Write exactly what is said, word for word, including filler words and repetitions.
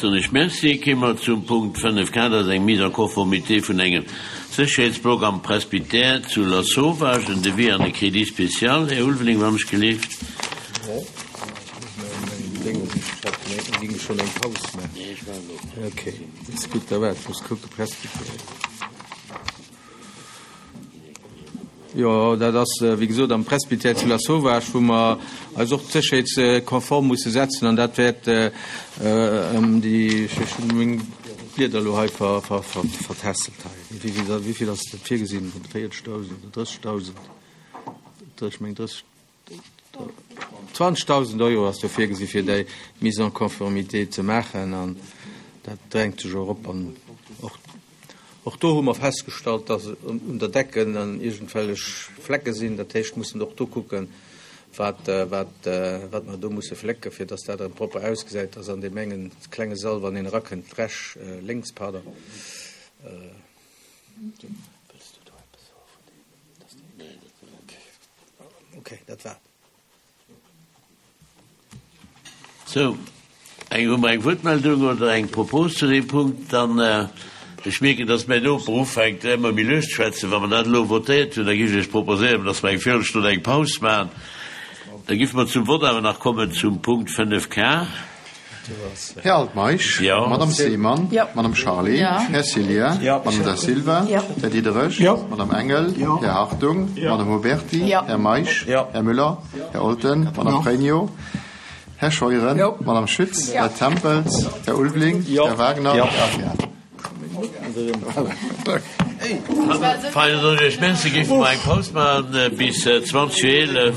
Soen ech Merci. Kéime mer zum Punkt fënnef K, dat ass eng Mise en conformité vun engem Sécherheetsblock am Presbytère zu Lasauvage, en Devis an e Crédit spécial. Här Ulveling, wann ech gelift. Jo, dat ass, wéi gesot, am Presbytère zu Lasauvage, wou mer eis och sécherheetskonform musse setzen. An dat wäert ëm déi, ech hunn meng Blieder elo hei vertässelt hei, wéi vill, wéi vill ass dat virgesinn? Véierzegdausend oder drëssegdausend? Ech meng drësseg, zwanzegdausend Euro ass do virgesi fir déi Mise en conformité ze maachen. An dat drängt sech och op. An och Och do hu mer festgestallt, dass un der Decken dann iergendwellech Flecke sinn. Dat heescht, mussen och do kucken, wat, wat, wat mer do musse flécken, fir dass dat erëm propper ausgesäit, dass an deem engen klenge Sall, wann een erakënnt, rech, lénks, pardon. Wëlls du do eppes soe vun deem, dass dee. Okay, dat war et. Sou, eng, hu mer eng Wuertmeldung oder eng Propos zu deem Punkt? Dann, ech mierken, dass mäin Noper ufänkt ëmmer méi lues ze schwätzen. Wa mer dat elo votéiert hunn, da géif ech Iech proposéieren, dass mer eng Virelstonn eng Paus maachen. Da géife mer zum Vott awer nach kommen zum Punkt fënnef K. Här Altmeisch, Madame Seemann, Madame Charlé, Här Cillien, Madame Da Silva, Här Diderich, Madame Engel, Här Hartung, Madame Huberty, Här Meisch, Här Müller, Här Olten, Madame Pregno, Här Scheuren, Madame Schütz, Här Tempels, Här Ulveling, Här Wagner, Här Aguiar. Fein, dann soen ech Iech Merci. Géife mer eng Paus maachen bis zwanzeg vir eelef.